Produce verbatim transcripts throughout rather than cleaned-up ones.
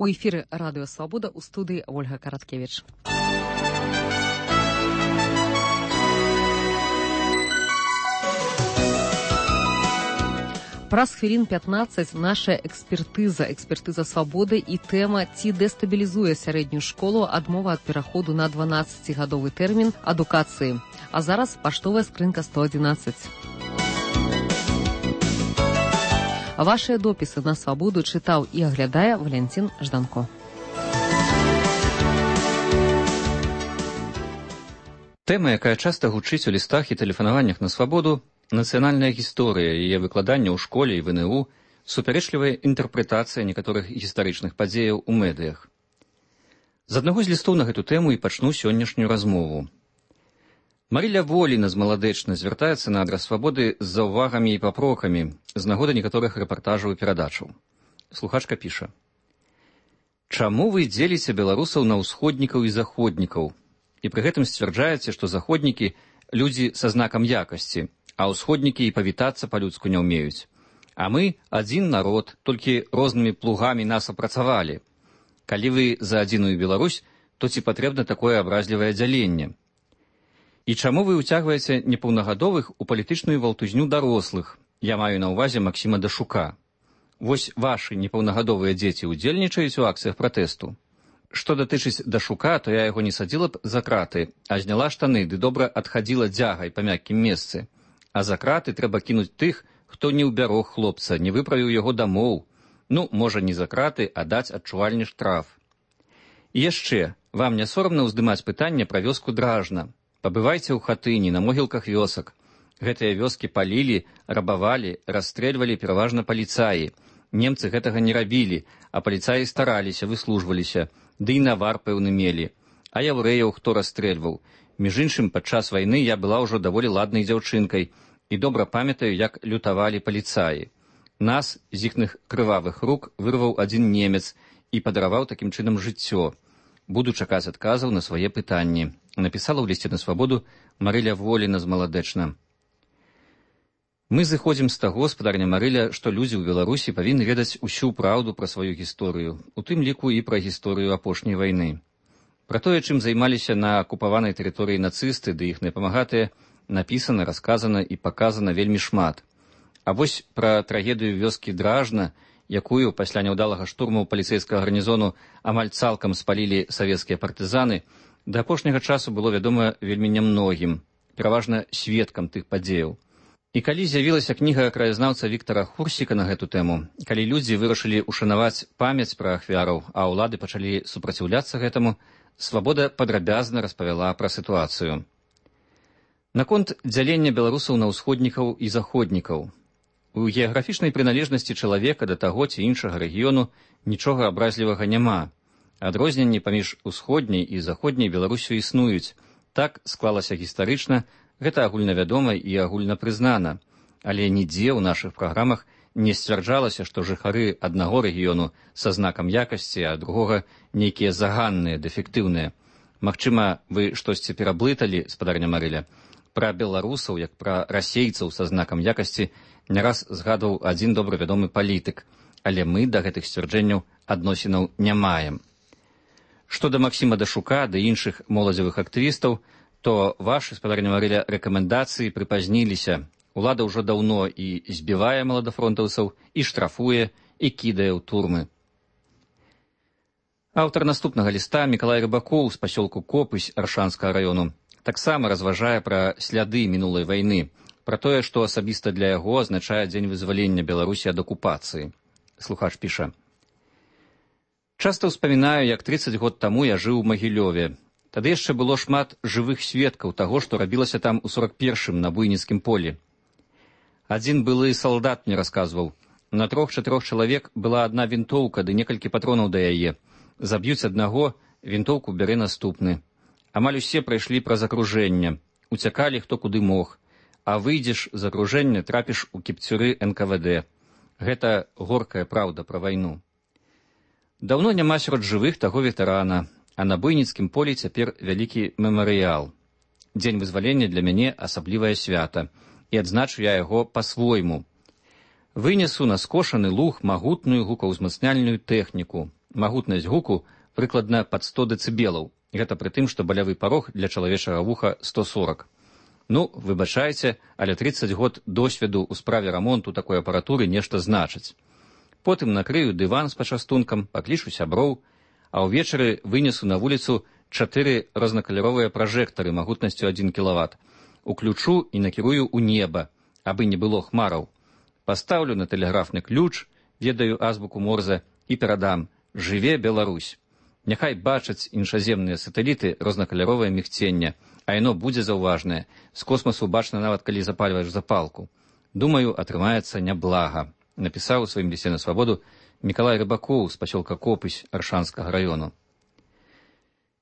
У эфіры радыё «Свабода», у студыі Ольга Караткевіч. Праз хвілін пятнаццаць наша экспертыза, экспертыза «Свабоды» і тэма «Ці дэстабілізуе сярэднюю школу адмова ад пераходу на дванаццацігадовы тэрмін адукацыі». А зараз паштовая скрынка сто адзінаццаць. Вашыя допісы на «Свабоду» чытаў і аглядае Валянцін Жданко. Тэма, якая часта гучыць у лістах і тэлефанаваннях на «Свабоду», нацыянальная гісторыя, яе выкладання ў школе і в эн э у, супярэчлівая інтэрпрэтацыя некаторых гістарычных падзеяў у медыях. З аднаго з лістоў на гэту тэму і пачну сённяшнюю размову. Марыля Воліна з Маладэчна звяртаецца на адрас «Свабоды» з заўвагамі і папрокамі з нагоды некаторых рэпартажаў і перадачаў. Слухачка піша: «Чаму вы дзеліце беларусаў на ўсходнікаў і заходнікаў? І пры гэтым сцвярджаеце, што заходнікі – людзі са знакам якасці, а ўсходнікі і павітацца па-людску не ўмеюць. А мы – адзін народ, толькі рознымі плугамі нас апрацавалі. Калі вы за адзіную Беларусь, то ці патрэбна такое абразлівае дзяленне? І чаму вы ўцягваеце непаўнагадовых у палітычную валтузню дарослых? Я маю на ўвазе Максіма Дашука. Вось вашы непаўнагадовыя дзеці ўдзельнічаюць у акцыях пратэсту. Што датычыць Дашука, то я яго не садзіла б за краты, а зняла штаны ды добра адхадзіла дзягай па мяккім месцы. А за краты трэба кінуць тых, хто не ўбярог хлопца, не выправіў яго дамоў. Ну, можа, не за краты, а даць адчувальны штраф. І яшчэ, вам не сорамна ўздымаць пытанне пра вёску Дражна? Пабывайце ў хатыні, на могілках вёсак. Гэтыя вёскі палілі, рабавалі, расстрэльвалі пераважна паліцаі. Немцы гэтага не рабілі, а паліцаі стараліся, выслужваліся, ды і навар пэўны мелі. А яўрэяў хто расстрэльваў? Між іншым, падчас вайны я была ўжо даволі ладнай дзяўчынкай і добра памятаю, як лютавалі паліцаі. Нас з іхных крывавых рук вырваў адзін немец і падараваў такім чынам жыццё. Буду чакаць адказаў на свае пытанні. Напісала ў лісце на «Свабоду» Марыля Воліна з Маладэчна. Мы зыходзім з таго, спадарня Марыля, што людзі ў Беларусі павінны ведаць усю праўду пра сваю гісторыю, у тым ліку і пра гісторыю апошняй вайны. Пра тое, чым займаліся на акупаванай тэрыторыі нацысты ды іхныя памагатыя, напісана, расказана і паказана вельмі шмат. А вось пра трагедыю вёскі Дражна, якую пасля няўдалага штурму паліцэйскага гарнізону амаль цалкам спалілі савецкія партызаны, да апошняга часу было вядома вельмі нямногім, пераважна сведкам тых падзеяў. І калі з'явілася кніга краязнаўца Віктара Хурсіка на гэту тэму, калі людзі вырашылі ушанаваць памяць пра ахвяраў, а ўлады пачалі супраціўляцца гэтаму, «Свабода» падрабязна распавяла пра сітуацыю. Наконт дзялення беларусаў на ўсходнікаў і заходнікаў. У геаграфічнай прыналежнасці чалавека да таго ці іншага рэгіёну нічога абразлівага няма. Адрозненні паміж усходняй і заходняй Беларусю існуюць. Так склалася гістарычна, гэта агульнавядома і агульнапрызнана. Але нідзе ў нашых праграмах не сцвярджалася, што жыхары аднаго рэгіёну са знакам якасці, а другога нейкія заганныя, дэфектыўныя. Магчыма, вы штосьці пераблыталі, спадарня Марыля. Пра беларусаў, як пра расейцаў са знакам якасці, не раз згадваў адзін добра вядомы палітык, але мы да гэтых сцвярджэнняў адносінаў не маем. Што да Максіма Дашука ды іншых моладзевых актывістаў, то вашы, спадарня Марыля, рэкамендацыі прыпазніліся. Улада ўжо даўно і збівае маладафронтаўцаў, і штрафуе, і кідае ў турмы. Аўтар наступнага ліста Мікалай Рыбакоў з пасёлку Копысь Аршанскага раёну таксама разважае пра сляды мінулай вайны, пра тое, што асабіста для яго азначае дзень вызвалення Беларусі ад акупацыі. Слухач піша: «Часта ўспамінаю, як трыццаць год таму я жыў у Магілёве. Тады яшчэ было шмат жывых сведкаў таго, што рабілася там у сорак першым на буйніцкім полі. Адзін былы салдат мне расказваў, на трох-чатырох чалавек была адна вінтоўка ды некалькі патронаў да яе. Заб'юць аднаго, вінтоўку бярэ наступны. Амаль усе прайшлі праз акружэнне, уцякалі хто куды мог, а выйдзеш з акружэння, трапіш у кіпцюры эн ка вэ дэ. Гэта горкая праўда пра вайну. Даўно няма сярод жывых таго ветэрана, а на буйніцкім полі цяпер вялікі мемарыял. Дзень вызвалення для мяне асаблівае свята, і адзначу я яго па-свойму. Вынесу на скошаны луг магутную гукаўзмацняльную тэхніку, Магутнасць гуку прыкладна пад сто дэцыбелаў. Гэта пры тым, што балявы парог для чалавечага вуха сто сорок. Ну, выбачайце, але трыццаць год досведу ў справе рамонту такой апаратуры нешта значыць. Потым накрыю дыван з пачастункам, паклічу сяброў, а ўвечары вынесу на вуліцу чатыры рознакаляровыя пражэктары магутнасцю адзін кілават. Уключу і накірую ў неба, абы не было хмараў. Пастаўлю на тэлеграфны ключ, ведаю азбуку Морзе, і перадам: «Жыве Беларусь». Няхай бачаць іншаземныя сатэліты рознакаляровае мігценне, а яно будзе заўважнае. З космасу бачна нават, калі запальваеш запалку. Думаю, атрымаецца няблага, напісаў у сваім лісце на свабоду Мікалай Рыбакоў з пасёлка Копысь Аршанскага раёну.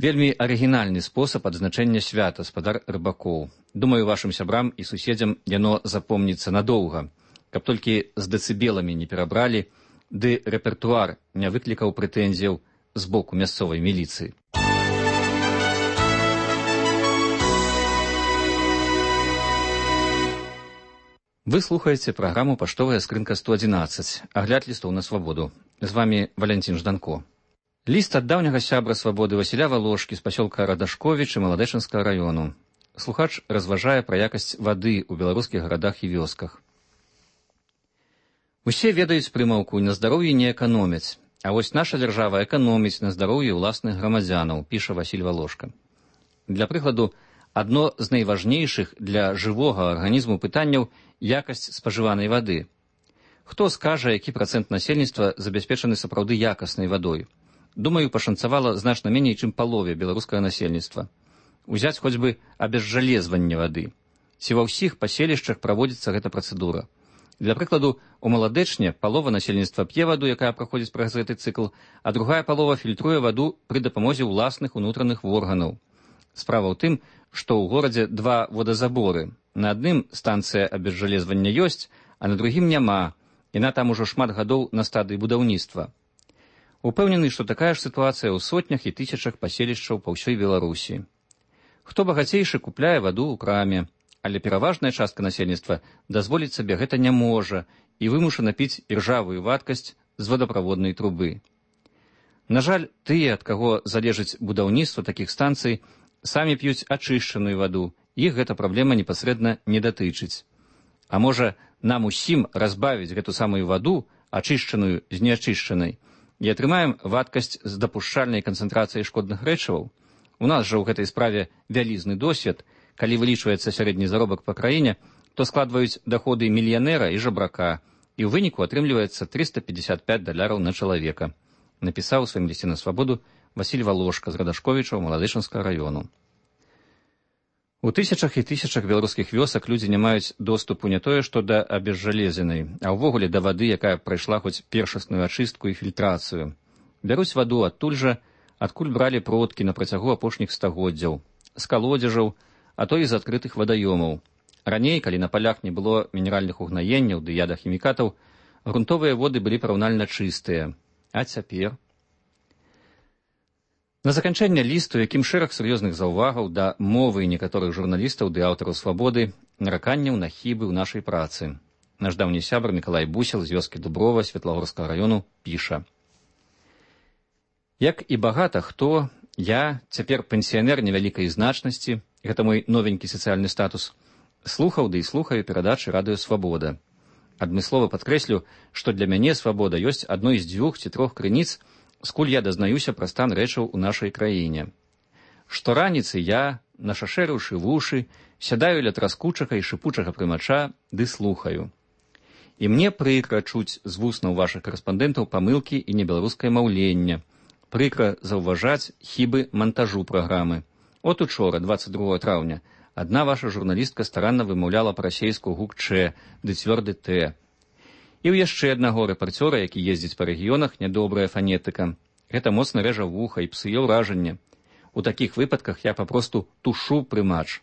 Вельмі арыгінальны спосаб адзначэння свята, спадар Рыбакоў. Думаю, вашым сябрам і суседзям яно запомніцца надоўга, каб толькі з дэцыбеламі не перабралі, ды рэпертуар не выклікаў прэтэнзіяў з боку мясцовай міліцыі. Вы слухаеце праграму «Паштовая скрынка сто адзінаццаць», агляд лістоў на свабоду. З вамі Валянцін Жданко. Ліст ад даўняга сябра свабоды Васіля Валошкі з пасёлка Радашковіч і Маладэчынскага раёну. Слухач разважае пра якасць вады ў беларускіх гарадах і вёсках. Усе ведаюць прымаўку «на здароўі не эканомяць», а вось наша дзяржава эканоміць на здароўі ўласных грамадзянаў, піша Васіль Валошка. Для прыкладу, адно з найважнейшых для жывога арганізму пытанняў якасць спажыванай вады. Хто скажа, які працэнт насельніцтва забяспечаны сапраўды якаснай вадой? Думаю, пашанцавала значна меней, чым палове беларускага насельніцтва. Узяць хоць бы абезжалезванне вады. Ці ва ўсіх паселішчах праводзіцца гэта працэдура. Для прыкладу, у Маладэчне палова насельніцтва п'е ваду, якая праходзіць праз гэты цыкл, а другая палова фільтруе ваду пры дапамозе ўласных унутраных органаў. Справа ў тым, што ў горадзе два водазаборы. На адным станцыя абезжалезвання ёсць, а на другім няма. Яна там ужо шмат гадоў на стадыі будаўніцтва. Упэўнены, што такая ж сітуацыя ў сотнях і тысячах паселішчаў па ўсёй Беларусі. Хто багацейшы, купляе ваду ў краме, але пераважная частка насельніцтва дазволіць сабе гэта не можа і вымушана піць іржавую вадкасць з водаправоднай трубы. На жаль, тыя, ад каго залежыць будаўніцтва такіх станцый, самі п'юць ачышчаную ваду, іх гэта праблема непасрэдна не датычыць. А можа, нам усім разбавіць гэту самую ваду, ачышчаную з неачышчанай, і атрымаем вадкасць з дапушчальнай канцэнтрацыяй шкодных рэчываў? У нас жа ў гэтай справе вялізны досвед. Калі вылічваецца сярэдні заробак па краіне, то складваюць даходы мільянера і жабрака, і ў выніку атрымліваецца трыста пятьдесят пять даляраў на чалавека, напісаў у сваім лісце на свабоду Васіль Валошка з Радашковічаў Маладэчынскага раёну. У тысячах і тысячах беларускіх вёсак людзі не маюць доступу не тое, што да абезжалезенай, а ўвогуле да вады, якая прайшла хоць першасную ачыстку і фільтрацыю. Бяруць ваду адтуль жа, адкуль бралі продкі на працягу апошніх стагоддзяў, з калодзежаў, а то і з адкрытых вадаёмаў. Раней, калі на палях не было мінеральных угнаенняў ды ядахімікатаў, грунтовыя воды былі параўнальна чыстыя. А цяпер? На заканчэнне лісту, якім шэраг сур'ёзных заўвагаў да мовы некаторых журналістаў ды аўтараў свабоды, нараканняў на хібы ў нашай працы. Наш даўні сябар Мікалай Бусел з вёскі Дуброва Светлагорскага раёну піша: «Як і багата хто, я, цяпер пенсіянер невялікай значнасці, гэта мой новенькі сацыяльны статус, слухаў ды і слухаю перадачы радыё «Свабода». Адмыслова падкрэслю, што для мяне свабода ёсць адной з дзвюх ці трох крыніц, скуль я дазнаюся пра стан рэчаў у нашай краіне. Штораніцы я, нашашэрыўшы вушы, сядаю ля траскучага і шыпучага прымача ды слухаю. І мне прыкра чуць з вуснаў вашых карэспандэнтаў памылкі і небеларускае маўленне, прыкра заўважаць хібы мантажу праграмы. От учора, двадцать другого траўня, адна ваша журналістка старанна вымаўляла па-расейску гук «Ч» ды цвёрды «Т». І ў яшчэ аднаго рэпарцёра, які ездзіць па рэгіёнах, нядобрая фанетыка. Гэта моцна рэжа вуха і псуе ўражанне. У такіх выпадках я папросту тушу прымач.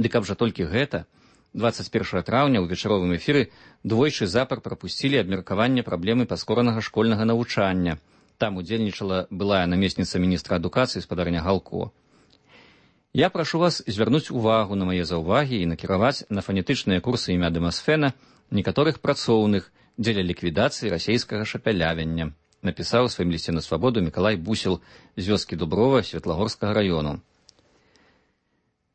Ды каб жа толькі гэта, двадцать першага траўня ў вечаровым эфіры двойчы запар прапусцілі абмеркаванне праблемы паскоранага школьнага навучання. Там удзельнічала былая намесніца міністра адукацыі спадарня Галко. Я прашу вас звярнуць увагу на мае заўвагі і накіраваць на фанетычныя курсы імя Дэмасфена некаторых працоўных дзеля ліквідацыі расейскага шапялявання. напісаў у сваім лісце на свабоду Мікалай Бусел з вёскі Дуброва Светлагорскага раёну.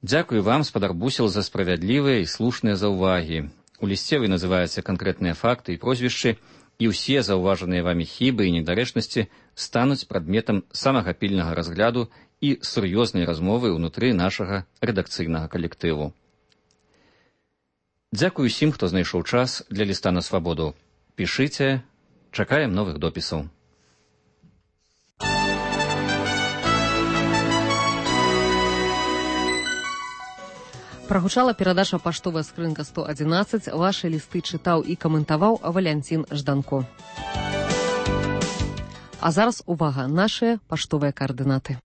Дзякую вам, спадар Бусел, за справядлівыя і слушныя заўвагі. У лісце вы называеце канкрэтныя факты і прозвішчы, і ўсе заўважаныя вамі хібы і недарэчнасці стануць прадметам самага пільнага разгляду і сур'ёзнай размовы ўнутры нашага рэдакцыйнага калектыву. Дзякую усім, хто знайшоў час для ліста на свабоду. Пішыце, чакаем новых допісаў. Прагучала перадача «Паштовая скрынка сто адзінаццаць». Вашы лісты чытаў і каментаваў Валянцін Жданко. А зараз увага, нашыя паштовыя каардынаты.